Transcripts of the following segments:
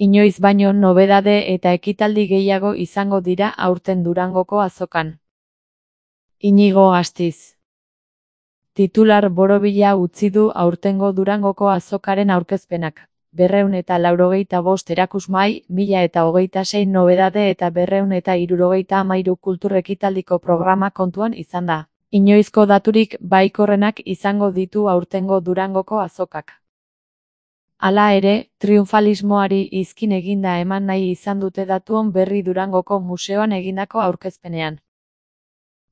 Inoiz baino nobedade eta ekitaldi gehiago izango dira aurten Durangoko azokan. Iñigo Astiz. Titular borobila utzi du aurtengo Durangoko azokaren aurkezpenak. 285 erakusmai, 1026 nobedade eta 273 kultur ekitaldiko programa kontuan izan da. Inoizko daturik baikorrenak izango ditu aurtengo Durangoko azokak. Hala ere, triunfalismoari izkin eginda eman nahi izan dute datuon berri Durangoko museoan egindako aurkezpenean.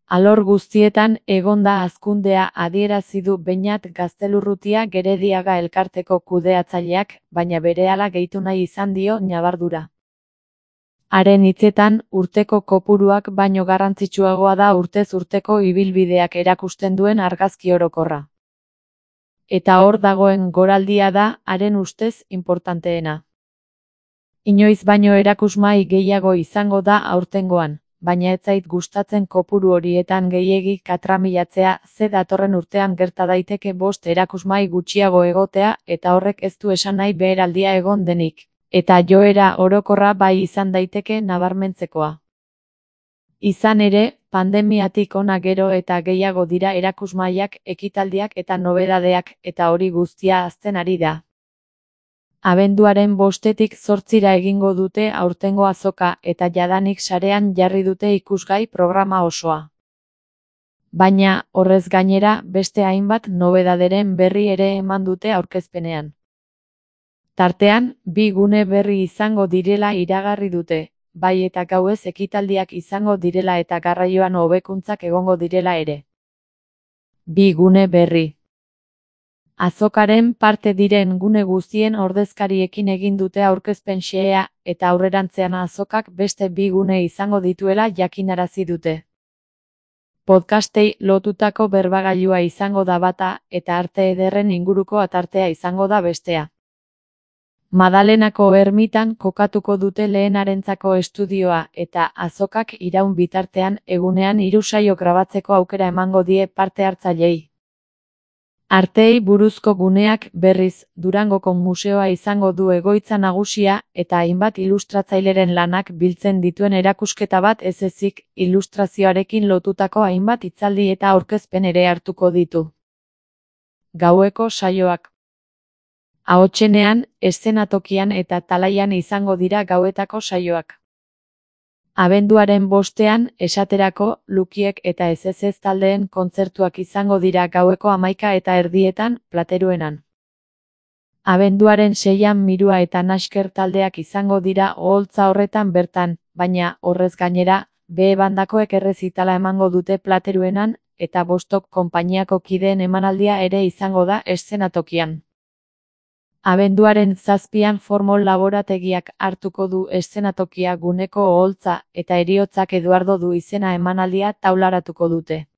Alor guztietan egon da hazkundea adierazi du Beñat Gaztelurrutia Gerediaga elkarteko kudeatzaileak, baina berehala gehitu nahi izan dio ñabardura. Haren hitzetan, urteko kopuruak baino garrantzitsuagoa da urtez urteko ibilbideak erakusten duen argazki orokorra. Eta hor dagoen goraldia da, haren ustez, inportanteena. Inoiz baino erakusmai gehiago izango da aurtengoan, baina ez zait gustatzen kopuru horietan gehiegi katramilatzea, ze datorren urtean gerta daiteke 5 erakusmai gutxiago egotea eta horrek ez du esan nahi beheraldia egon denik, eta joera orokorra bai izan daiteke nabarmentzekoa. Izan ere, pandemiatik hona gero eta gehiago dira erakusmaiak, ekitaldiak eta nobedadeak, eta hori guztia hazten ari da. Abenduaren 5-tik 8 egingo dute aurtengo azoka eta jadanik sarean jarri dute ikusgai programa osoa. Baina, horrez gainera, beste hainbat nobedaderen berri ere eman dute aurkezpenean. Tartean, 2 gune berri izango direla iragarri dute, bai eta gauez ekitaldiak izango direla eta garraioan hobekuntzak egongo direla ere. 2 gune berri. Azokaren parte diren gune guztien ordezkariekin egin dute aurkezpen xehea eta aurrerantzean azokak beste 2 gune izango dituela jakinarazi dute. Podcastei lotutako berbagailua izango da bata eta arte ederren inguruko atartea izango da bestea. Madalenako ermitan kokatuko dute lehenarentzako estudioa eta azokak iraun bitartean egunean 3 saio grabatzeko aukera emango die parte hartzaileei. Arteei buruzko guneak berriz Durangoko museoa izango du egoitza nagusia eta hainbat ilustratzaileren lanak biltzen dituen erakusketa bat ez ezik ilustrazioarekin lotutako hainbat hitzaldi eta aurkezpen ere hartuko ditu. Gaueko saioak. Ahotsenean, eszenatokian eta talaian izango dira gauetako saioak. Abenduaren 5ean, esaterako, Lukiek eta ez taldeen kontzertuak izango dira gaueko 11:30 Plateruenan. Abenduaren 6ean Mirua eta Nasker taldeak izango dira oholtza horretan bertan, baina, horrez gainera, B bandakoek errezitala emango dute Plateruenan, eta Bostok konpainiako kideen emanaldia ere izango da eszenatokian. Abenduaren 7ean Formol laborategiak hartuko du eszenatokia guneko oholtza eta Heriotzak Eduardo du izena emanaldia taularatuko dute.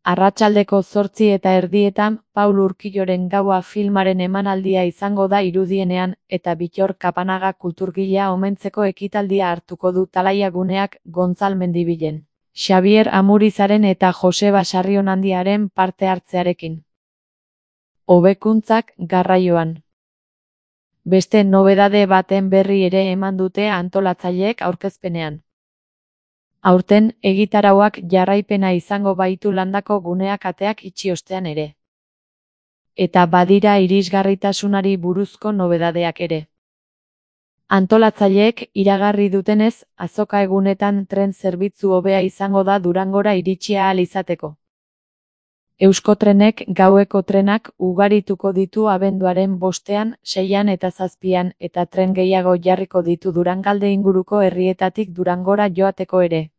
Arratsaldeko 8:30 Paul Urquijoren gaua filmaren emanaldia izango da Irudienean eta Bittor Kapanaga kulturgilea omentzeko ekitaldia hartuko du talaia guneak Gontzal Mendibilen, Xabier Amurizaren eta Joseba Sarrionandiaren parte hartzearekin. Hobekuntzak garraioan. Beste nobedade baten berri ere eman dute antolatzaileek aurkezpenean. Aurten, egitarauak jarraipena izango baitu landako guneak ateak itxi ostean ere. Eta badira irisgarritasunari buruzko nobedadeak ere. Antolatzaileek iragarri dutenez, azoka egunetan tren zerbitzu hobea izango da Durangora iritsi ahal izateko. Euskotrenek gaueko trenak ugarituko ditu abenduaren 5ean, 6ean eta 7ean eta tren gehiago jarriko ditu Durangalde inguruko herrietatik Durangora joateko ere.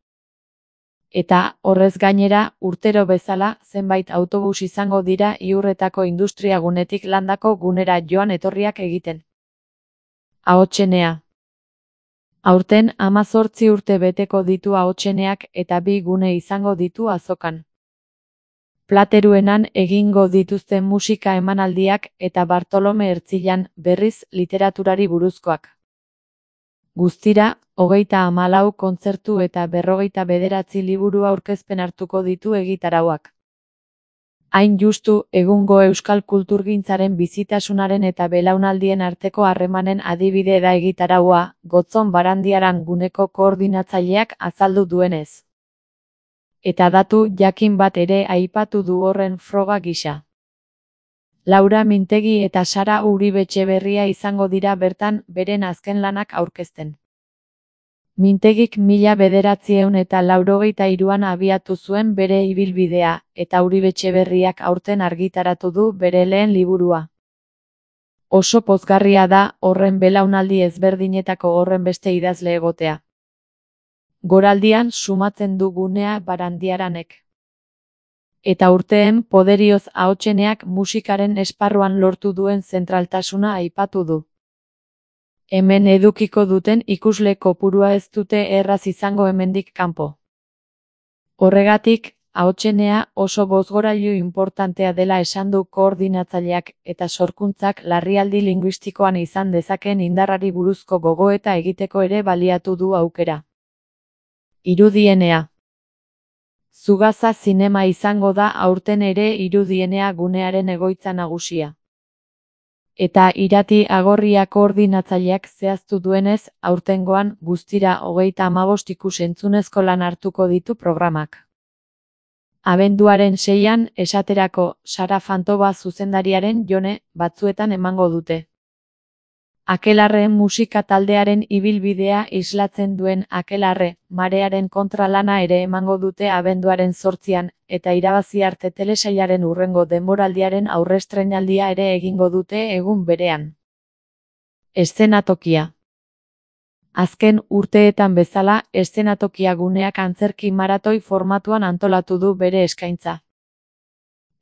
Eta, horrez gainera, urtero bezala, zenbait autobus izango dira Iurretako industriagunetik landako gunera joan etorriak egiten. Ahotsenea. Aurten 18 urte beteko ditu ahotseneak eta 2 gune izango ditu azokan. Plateruenan egingo dituzten musika emanaldiak eta Bartolome Ertzilan berriz literaturari buruzkoak. Guztira, 34 kontzertu eta 59 liburu aurkezpen hartuko ditu egitarauak. Hain justu, egungo euskal kulturgintzaren bizitasunaren eta belaunaldien arteko harremanen adibide da egitaraua, Gotzon Barandiaran guneko koordinatzaileak azaldu duenez. Eta datu jakin bat ere aipatu du horren froga gisa. Laura Mintegi eta Sara Uribe-Etxeberria izango dira bertan beren azken lanak aurkezten. Mintegik 1983an abiatu zuen bere ibilbidea, eta Uribe-Etxeberriak aurten argitaratu du bere lehen liburua. Oso pozgarria da horren belaunaldi ezberdinetako horrenbeste idazle egotea. Goraldian sumatzen du gunea Barandiaranek. Eta urteen poderioz ahotseneak musikaren esparruan lortu duen zentraltasuna aipatu du. Hemen edukiko duten ikusle kopurua ez dute erraz izango hemendik kanpo. Horregatik, ahotsenea oso bozgorailu inportantea dela esan du koordinatzaileak eta sorkuntzak larrialdi linguistikoan izan dezakeen indarrari buruzko gogoeta egiteko ere baliatu du aukera. Irudienea. Zugaza zinema izango da aurten ere Irudienea gunearen egoitza nagusia. Eta Irati Agorria koordinatzaileak zehaztu duenez, aurtengoan guztira 35 ikus-entzunezko lan hartuko ditu programak. Abenduaren 6an, esaterako, Sara Fantoba zuzendariaren Jone batzuetan emango dute. Akelarre musika taldearen ibilbidea islatzen duen Akelarre, marearen kontralana ere emango dute abenduaren 8an, eta irabazi arte telesailaren hurrengo denboraldiaren aurrestreinaldia ere egingo dute egun berean. Eszenatokia. Azken urteetan bezala, eszenatokia guneak antzerki maratoi formatuan antolatu du bere eskaintza.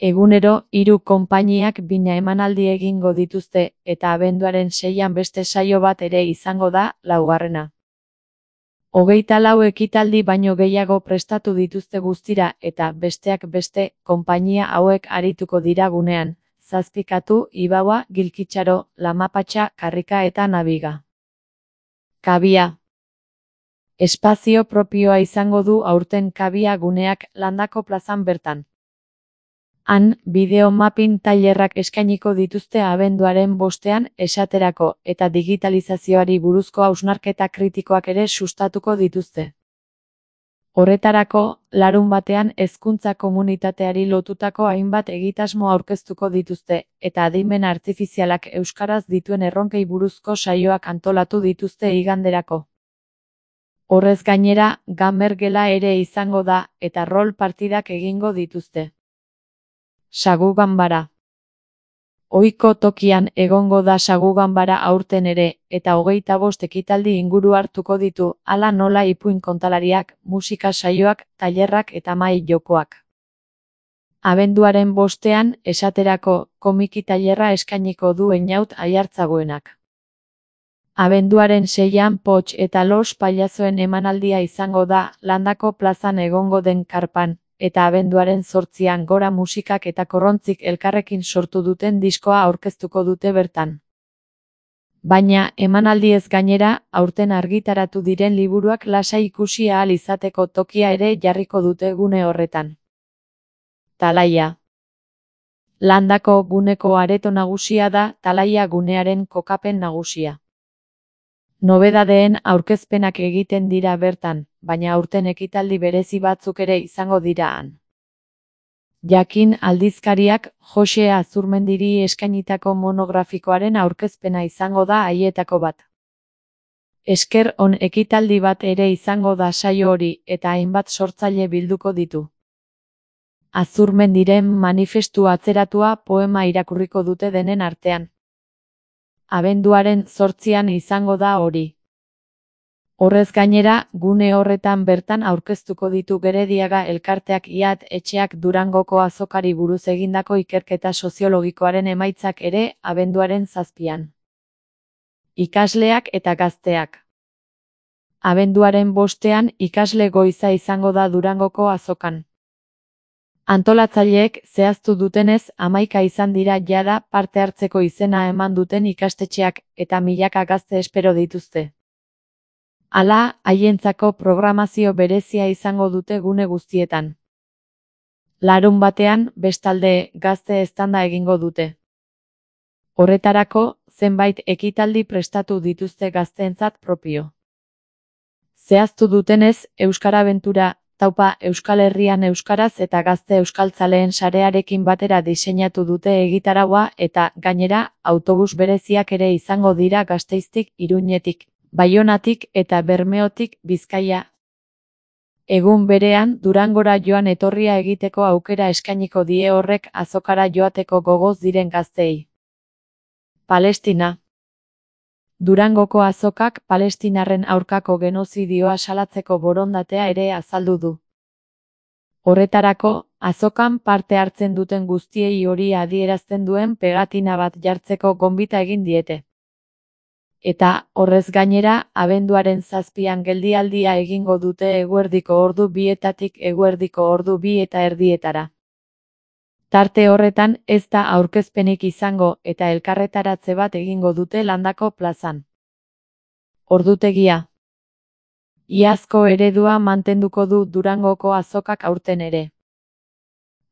Egunero, 3 konpainiak bina emanaldi egingo dituzte, eta abenduaren 6an beste saio bat ere izango da, 4. 24 ekitaldi baino gehiago prestatu dituzte guztira, eta besteak beste, konpainia hauek arituko dira gunean, Zazpikatu, Ibaua, Gilkitxaro, Lamapatxa, Karrika eta Nabiga. Kabia. Espazio propioa izango du aurten Kabia guneak Landako plazan bertan. Han, bideo mapping tailerrak eskainiko dituzte abenduaren 5ean, esaterako, eta digitalizazioari buruzko hausnarketa kritikoak ere sustatuko dituzte. Horretarako, larunbatean hezkuntza komunitateari lotutako hainbat egitasmo aurkeztuko dituzte, eta adimen artifizialak euskaraz dituen erronkei buruzko saioak antolatu dituzte iganderako. Horrez gainera, gamer gela ere izango da, eta rol partidak egingo dituzte. Sagu ganbara. Ohiko tokian egongo da sagu ganbara aurten ere, eta 25 ekitaldi inguru hartuko ditu, hala nola ipuin kontalariak, musika saioak, tailerrak eta mahai jokoak. Abenduaren 5ean, esaterako, komiki tailerra eskainiko du Einaut Aiartzagoenak. Abenduaren 6an Poch eta Los Pailazoen emanaldia izango da, Landako plazan egongo den karpan, eta abenduaren 8an Gora Musikak eta Korrontzik elkarrekin sortu duten diskoa aurkeztuko dute bertan. Baina, emanaldiez gainera, aurten argitaratu diren liburuak lasai ikusi ahal izateko tokia ere jarriko dute gune horretan. Talaia. Landako guneko areto nagusia da, Talaia gunearen kokapen nagusia. Nobedadeen aurkezpenak egiten dira bertan, baina aurten ekitaldi berezi batzuk ere izango dira han. Jakin aldizkariak Jose Azurmendiri eskainitako monografikoaren aurkezpena izango da haietako bat. Esker on ekitaldi bat ere izango da saio hori, eta hainbat sortzaile bilduko ditu. Azurmendiren manifestu atzeratua poema irakurriko dute denen artean. Abenduaren 8an izango da hori. Horrez gainera, gune horretan bertan aurkeztuko ditu Gerediaga elkarteak IAT etxeak Durangoko azokari buruz egindako ikerketa soziologikoaren emaitzak ere abenduaren 7an. Ikasleak eta gazteak. Abenduaren 5ean ikasle goiza izango da Durangoko azokan. Antolatzaileek zehaztu dutenez 11 izan dira jada parte hartzeko izena eman duten ikastetxeak eta milaka gazte espero dituzte. Hala, haientzako programazio berezia izango dute gune guztietan. Larunbatean, bestalde, gazte eztanda egingo dute. Horretarako, zenbait ekitaldi prestatu dituzte gazteentzat propio. Zehaztu dutenez, Euskarabentura, taupa Euskal Herrian euskaraz eta gazte euskaltzaleen sarearekin batera diseinatu dute egitaraua eta, gainera, autobus bereziak ere izango dira Gasteiztik, Iruñetik, Baionatik eta Bermeotik, Bizkaia. Egun berean, Durangora joan etorria egiteko aukera eskainiko die horrek azokara joateko gogoz diren gazteei. Palestina. Durangoko azokak palestinarren aurkako genozidioa salatzeko borondatea ere azaldu du. Horretarako, azokan parte hartzen duten guztiei hori adierazten duen pegatina bat jartzeko gonbita egin diete. Eta, horrez gainera, abenduaren 7an geldialdia egingo dute eguerdiko ordu 2etatik eguerdiko ordu 2:30. Tarte horretan ez da aurkezpenik izango eta elkarretaratze bat egingo dute Landako plazan. Ordutegia. Iazko eredua mantenduko du Durangoko azokak aurten ere.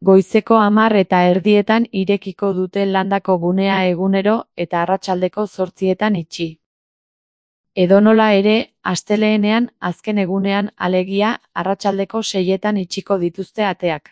Goizeko 10:30 irekiko dute Landako gunea egunero eta arratsaldeko 8etan itxi. Edonola ere, astelehenean, azken egunean, alegia, arratsaldeko 6etan itxiko dituzte ateak.